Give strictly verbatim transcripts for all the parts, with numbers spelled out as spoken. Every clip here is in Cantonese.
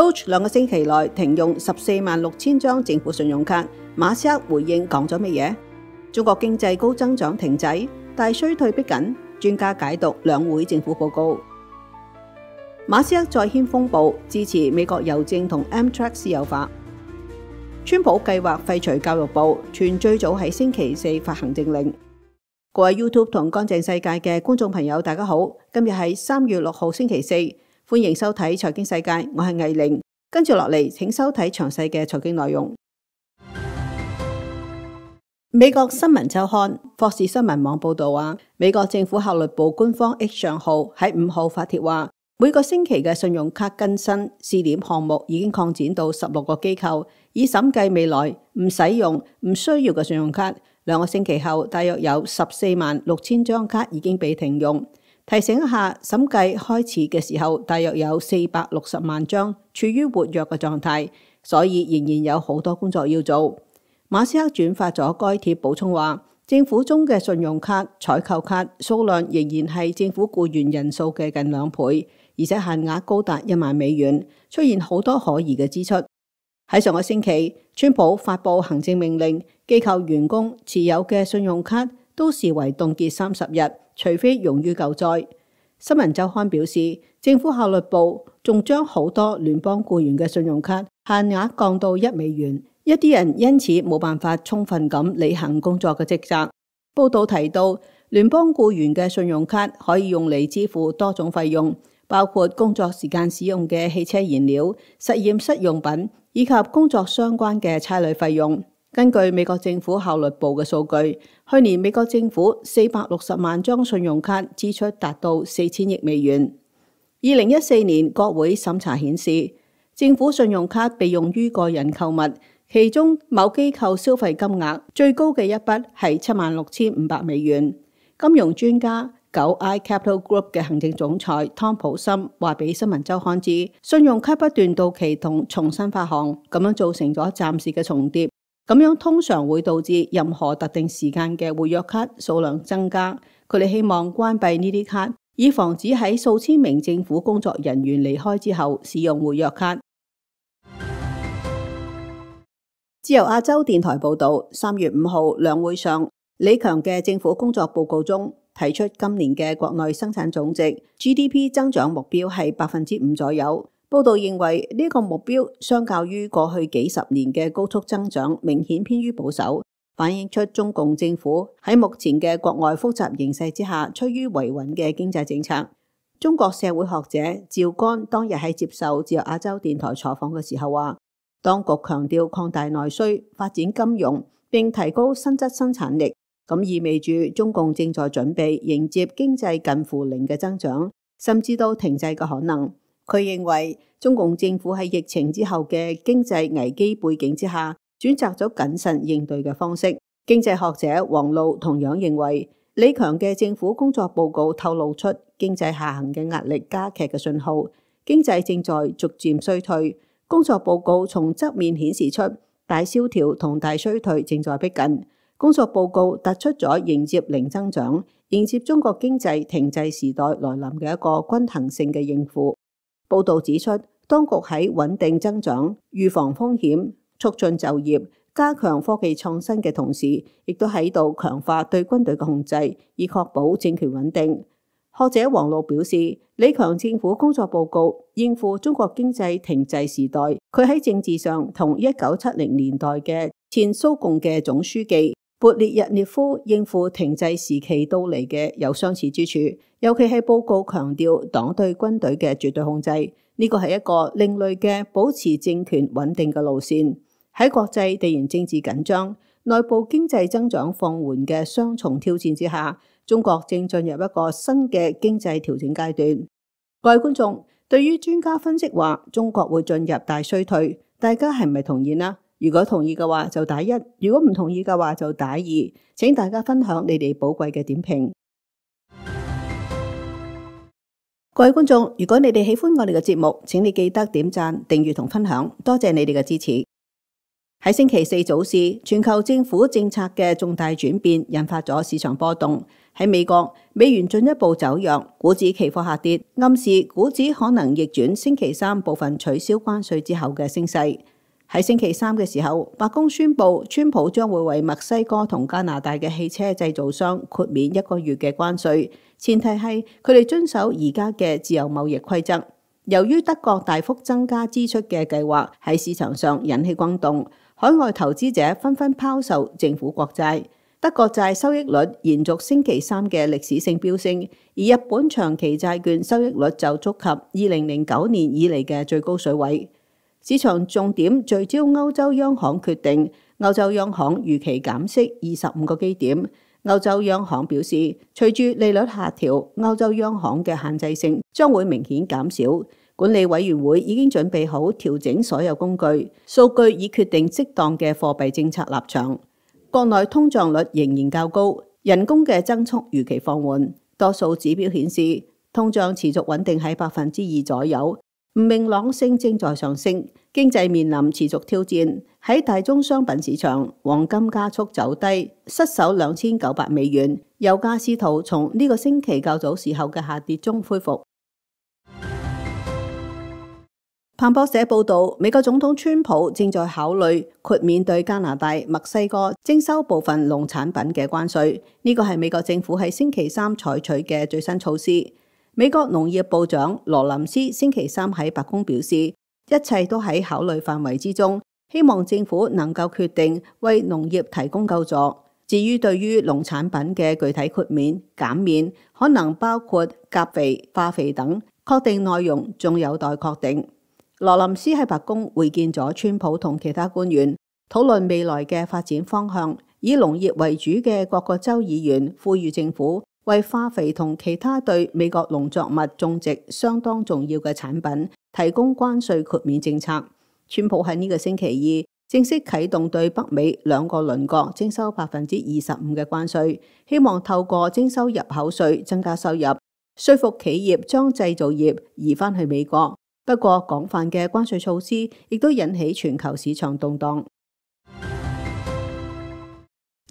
Doge 兩個星期內停用十四萬六千張政府信用卡，馬斯克回應講咗乜嘢？中國經濟高增長停滯，大衰退逼緊，專家解讀兩會政府報告。馬斯克再掀風暴，支持美國郵政同 Amtrak 私有化。川普計劃廢除教育部，傳最早喺星期四發行政令。各位 YouTube 同乾淨世界嘅觀眾朋友，大家好，今日係三月六號星期四，歡迎收睇財經世界，我係藝玲。跟住落嚟，請收睇詳細嘅財經內容。美國新聞週刊、霍士新聞網報道話，美國政府效率部官方 X 賬號喺五號發帖話，每個星期嘅信用卡更新試點項目已經擴展到十六個機構，以審計未來唔使用、唔需要嘅信用卡。兩個星期後，大約有十四萬六千張卡已經被停用。提醒一下，審計開始嘅時候，大約有四百六十萬張處於活躍嘅狀態，所以仍然有好多工作要做。馬斯克轉發咗該帖補充話，政府中嘅信用卡採購卡數量仍然係政府僱員人數嘅近兩倍，而且限額高達一萬美元，出現好多可疑嘅支出。喺上個星期，川普發布行政命令，機構員工持有嘅信用卡都視為凍結三十日，除非用於救災。新聞週刊表示，政府效率部仲將好多聯邦僱員嘅信用卡限額降到一美元，一啲人因此冇辦法充分咁履行工作嘅職責。報道提到，聯邦僱員嘅信用卡可以用嚟支付多種費用，包括工作時間使用嘅汽車燃料、實驗室用品以及工作相關嘅差旅費用。根據美國政府效率部嘅數據，去年美國政府四百六十萬張信用卡支出達到四千億美元。二零一四年國會審查顯示，政府信用卡被用於個人購物，其中某機構消費金額最高嘅一筆係七萬六千五百美元。金融專家九 I Capital Group 嘅行政總裁湯普森話俾新聞週刊知，信用卡不斷到期同重新發行，咁樣造成咗暫時嘅重疊，咁樣通常會導致任何特定時間嘅活躍卡數量增加。佢哋希望關閉呢啲卡，以防止喺數千名政府工作人員離開之後使用活躍卡。自由亞洲電台報道，三月五號兩會上，李強嘅政府工作報告中提出今年嘅國內生產總值 G D P 增長目標係百分之五左右。報道認為呢個目標相較於過去幾十年嘅高速增長，明顯偏於保守，反映出中共政府喺目前嘅國外複雜形勢之下，趨於維穩嘅經濟政策。中國社會學者趙干當日喺接受自由亞洲電台採訪嘅時候話，當局強調擴大內需、發展金融，並提高實質生產力，咁意味住中共正在準備迎接經濟近乎零嘅增長，甚至到停滯嘅可能。佢認為中共政府喺疫情之後嘅經濟危機背景之下，選擇咗謹慎應對嘅方式。經濟學者王璐同樣認為，李強嘅政府工作報告透露出經濟下行嘅壓力加劇嘅信號，經濟正在逐漸衰退。工作報告從側面顯示出大蕭條同大衰退正在逼近。工作報告突出咗迎接零增長、迎接中國經濟停滯時代來臨嘅一個均衡性嘅應付。報道指出，當局喺穩定增長、預防風險、促進就業、加強科技創新嘅同時，亦都喺度強化對軍隊嘅控制，以確保政權穩定。學者王璐表示，李強政府工作報告應付中國經濟停滯時代，佢喺政治上同一九七零年代嘅前蘇共嘅總書記勃列日涅夫應付停滯時期到嚟嘅有相似之處，尤其係報告強調黨對軍隊嘅絕對控制，呢個係一個另類嘅保持政權穩定嘅路線。喺國際地緣政治緊張、內部經濟增長放緩嘅雙重挑戰之下，中國正進入一個新嘅經濟調整階段。各位觀眾，對於專家分析話中國會進入大衰退，大家係咪同意呢？如果同意嘅話就打一，如果唔同意嘅話就打二。請大家分享你哋寶貴嘅點評。各位觀眾，如果你哋喜歡我哋嘅節目，請你記得點讚、訂閱同分享，多謝你哋嘅支持。喺星期四早市，全球政府政策嘅重大轉變引發咗市場波動。喺美國，美元進一步走弱，股指期貨下跌，暗示股指可能逆轉星期三部分取消關稅之後嘅升勢。喺星期三嘅時候，白宮宣布川普將會為墨西哥同加拿大嘅汽車製造商豁免一個月嘅關稅，前提係佢哋遵守而家嘅自由貿易規則。由於德國大幅增加支出嘅計劃喺市場上引起轟動，海外投資者紛紛拋售政府國債。德國債收益率延續星期三嘅歷史性飆升，而日本長期債券收益率就觸及二零零九年以嚟嘅最高水位。市場重點聚焦歐洲央行決定，歐洲央行預期減息二十五個基點。歐洲央行表示，隨住利率下調，歐洲央行嘅限制性將會明顯減少。管理委員會已經準備好調整所有工具、數據，以決定適當嘅貨幣政策立場。國內通脹率仍然較高，人工嘅增速預期放緩，多數指標顯示通脹持續穩定喺百分之二左右，唔明朗性正在上升，經濟面臨持續挑戰。喺大宗商品市場，黃金加速走低，失守兩千九百美元，油價試圖從呢個星期較早時候嘅下跌中恢復。彭博社報道，美國總統川普正在考慮豁免對加拿大、墨西哥徵收部分農產品嘅關稅。呢個係美國政府喺星期三採取嘅最新措施。美國農業部長羅林斯星期三喺白宮表示，一切都喺考慮範圍之中，希望政府能夠決定為農業提供救助。至於對於農產品嘅具體豁免、減免，可能包括鉀肥、化肥等，確定內容仲有待確定。羅林斯喺白宮會見咗川普同其他官員，討論未來嘅發展方向。以農業為主嘅各個州議員呼籲政府為化肥同其他對美國農作物種植相當重要嘅產品提供關稅豁免政策。川普喺呢個星期二正式啟動對北美兩個鄰國徵收百分之二十五嘅關稅，希望透過徵收入口稅增加收入，說服企業將製造業移返去美國。不過，廣泛嘅關稅措施亦都引起全球市場動盪。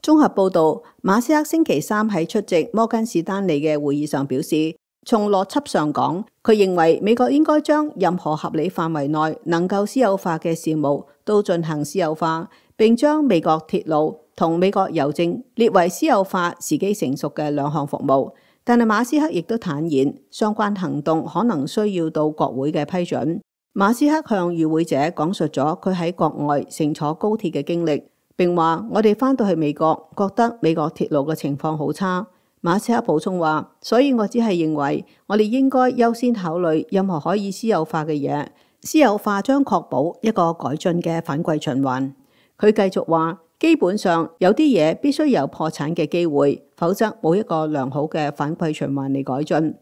綜合報導，馬斯克星期三喺出席摩根士丹利嘅會議上表示，從邏輯上講，佢認為美國應該將任何合理範圍內能夠私有化嘅事務都進行私有化，並將美國鐵路同美國郵政列為私有化時機成熟嘅兩項服務。但係馬斯克亦都坦言，相關行動可能需要到國會嘅批准。馬斯克向與會者講述咗佢喺國外乘坐高鐵嘅經歷，並話：我哋返到去美國，覺得美國鐵路嘅情況好差。馬斯克補充話：所以我只係認為，我哋應該優先考慮任何可以私有化嘅嘢。私有化將確保一個改進嘅反饋循環。佢繼續話：基本上有啲嘢必須有破產嘅機會，否則冇一個良好嘅反饋循環嚟改進。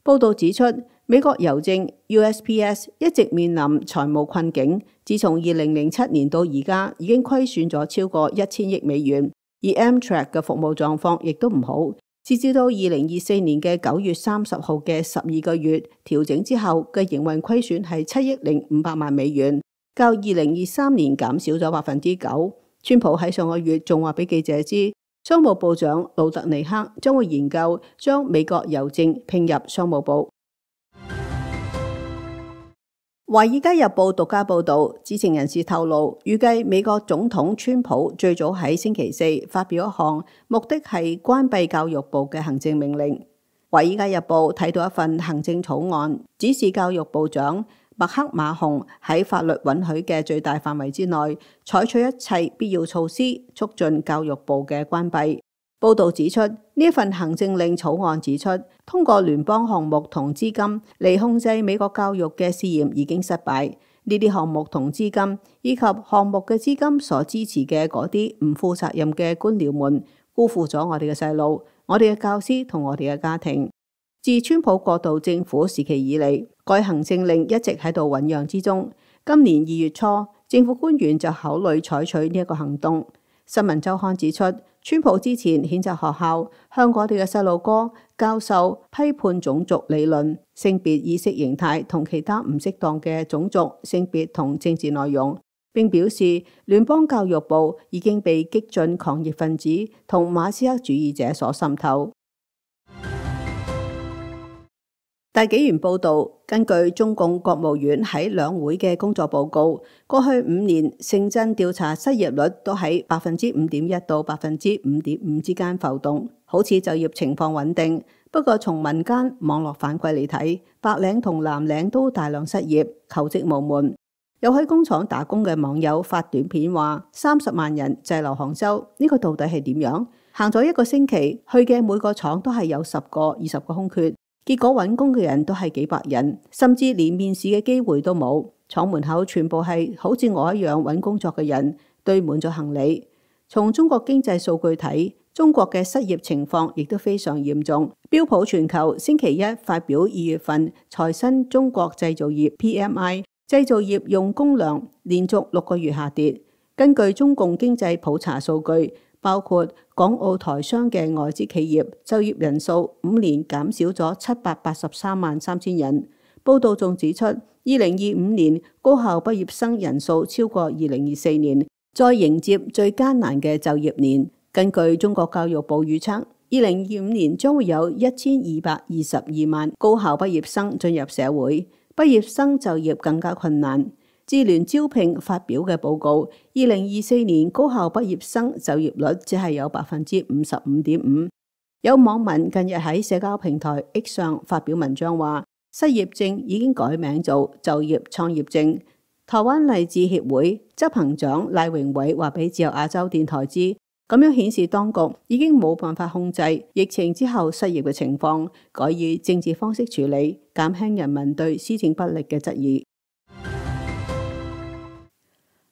報道指出，美國郵政 U S P S 一直面臨財務困境，自從二零零七年到而家已經虧損咗超過一千億美元，而 Amtrak 嘅服務狀況亦都唔好。截至到二零二四年嘅九月三十號嘅十二個月調整之後嘅營運虧損係七億零五百萬美元，較二零二三年減少咗百分之九。川普喺上個月仲話俾記者知，商務部長魯特尼克將會研究將美國郵政併入商務部。《華爾街日報》獨家報導，知情人士透露，預計美國總統川普最早喺星期四發表一項目的係關閉教育部嘅行政命令。《華爾街日報》睇到一份行政草案，指示教育部長麥克馬洪喺法律允許嘅最大範圍之內，採取一切必要措施，促進教育部嘅關閉。報導指出，呢份行政令草案指出，通過聯邦項目同資金嚟控制美國教育嘅試驗已經失敗。呢啲項目同資金以及項目嘅資金所支持嘅嗰啲唔負責任嘅官僚們，辜負咗我哋嘅細路、我哋嘅教師同我哋嘅家庭。自川普過渡政府時期以嚟，該行政令一直喺度醞釀之中。今年二月初，政府官員就考慮採取呢一個行動。新聞週刊指出，川普之前譴責學校向我哋嘅細路哥教授批判種族理論、性別意識形態同其他唔適當嘅種族、性別同政治內容。並表示聯邦教育部已經被激進狂熱分子同馬斯克主義者所滲透。大紀元報導，根據中共國務院喺兩會嘅工作報告，過去五年城鎮調查失業率都喺百分之五點一到百分之五點五之間浮動，好似就業情況穩定。不過從民間網絡反饋嚟睇，白領同藍領都大量失業，求職無門。有喺工廠打工嘅網友發短片話，三十萬人滯留杭州，呢個到底係點樣？行咗一個星期，去嘅每個廠都係有十個、二十個空缺。結果揾工嘅人都係幾百人，甚至連面試嘅機會都冇。廠門口全部係好似我一樣揾工作嘅人，堆滿咗行李。從中國經濟數據睇，中國嘅失業情況亦都非常嚴重。標普全球星期一發表二月份財新中國製造業 P M I， 製造業用工量連續六個月下跌。根據中共經濟普查數據，包括港澳台商嘅外資企業就業人數五年減少咗七百八十三萬三千人。報道仲指出，二零二五年高校畢業生人數超過二零二四年，再迎接最艱難嘅就業年。根據中國教育部預測，二零二五年將會有一千二百二十二萬高校畢業生進入社會，畢業生就業更加困難。智聯招聘發表嘅報告，二零二四年高校畢業生就業率只係有百分之五十五點五。有網民近日喺社交平台 X 上發表文章話，失業證已經改名做就業創業證。台灣勵志協會執行長賴榮偉話俾自由亞洲電台知，咁樣顯示當局已經冇辦法控制疫情之後失業嘅情況，改以政治方式處理，減輕人民對施政不力嘅質疑。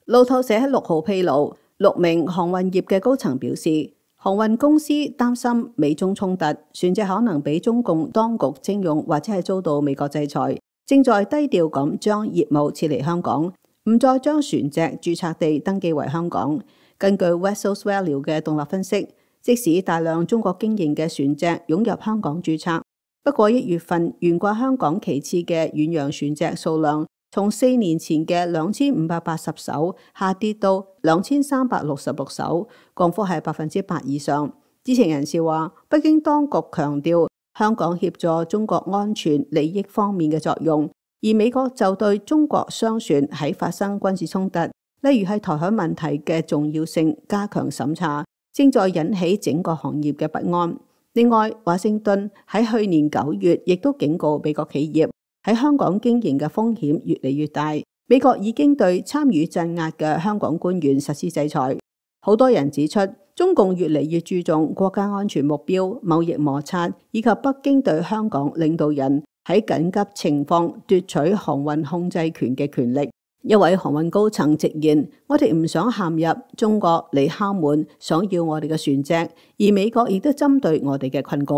路透社喺六號披露，六名航運業嘅高層表示，航運公司擔心美中衝突，船隻可能俾中共當局徵用或者係遭到美國制裁，正在低調咁將業務撤離香港，唔再將船隻註冊地登記為香港。根據 Vessels Value 嘅獨立分析，即使大量中國經營嘅船隻湧入香港註冊，不過一月份懸掛香港旗幟嘅遠洋船隻數量，從四年前嘅兩千五百八十艘下跌到兩千三百六十六艘，降幅係百分之八以上。知情人士話，北京當局強調香港協助中國安全利益方面嘅作用，而美國就對中國商船喺發生軍事衝突，例如係台海問題嘅重要性加強審查，正在引起整個行業嘅不安。另外，華盛頓喺去年九月亦都警告美國企業，喺香港經營嘅風險越嚟越大，美國已經對參與鎮壓嘅香港官員實施制裁。好多人指出，中共越嚟越注重國家安全目標、貿易摩擦，以及北京對香港領導人喺緊急情況奪取航運控制權嘅權力。一位航運高層直言，我哋唔想陷入中國嚟敲門，想要我哋嘅船隻，而美國亦都針對我哋嘅困局。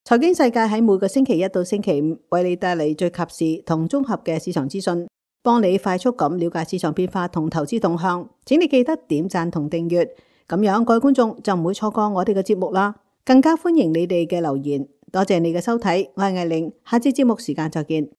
財經世界喺每個星期一到星期五為你帶嚟最及時同綜合嘅市場資訊，幫你快速咁了解市場變化同投資動向。請你記得點讚同訂閱，咁樣各位觀眾就唔會錯過我哋嘅節目啦。更加歡迎你哋嘅留言。多謝你嘅收睇，我係艾玲，下次節目時間再見。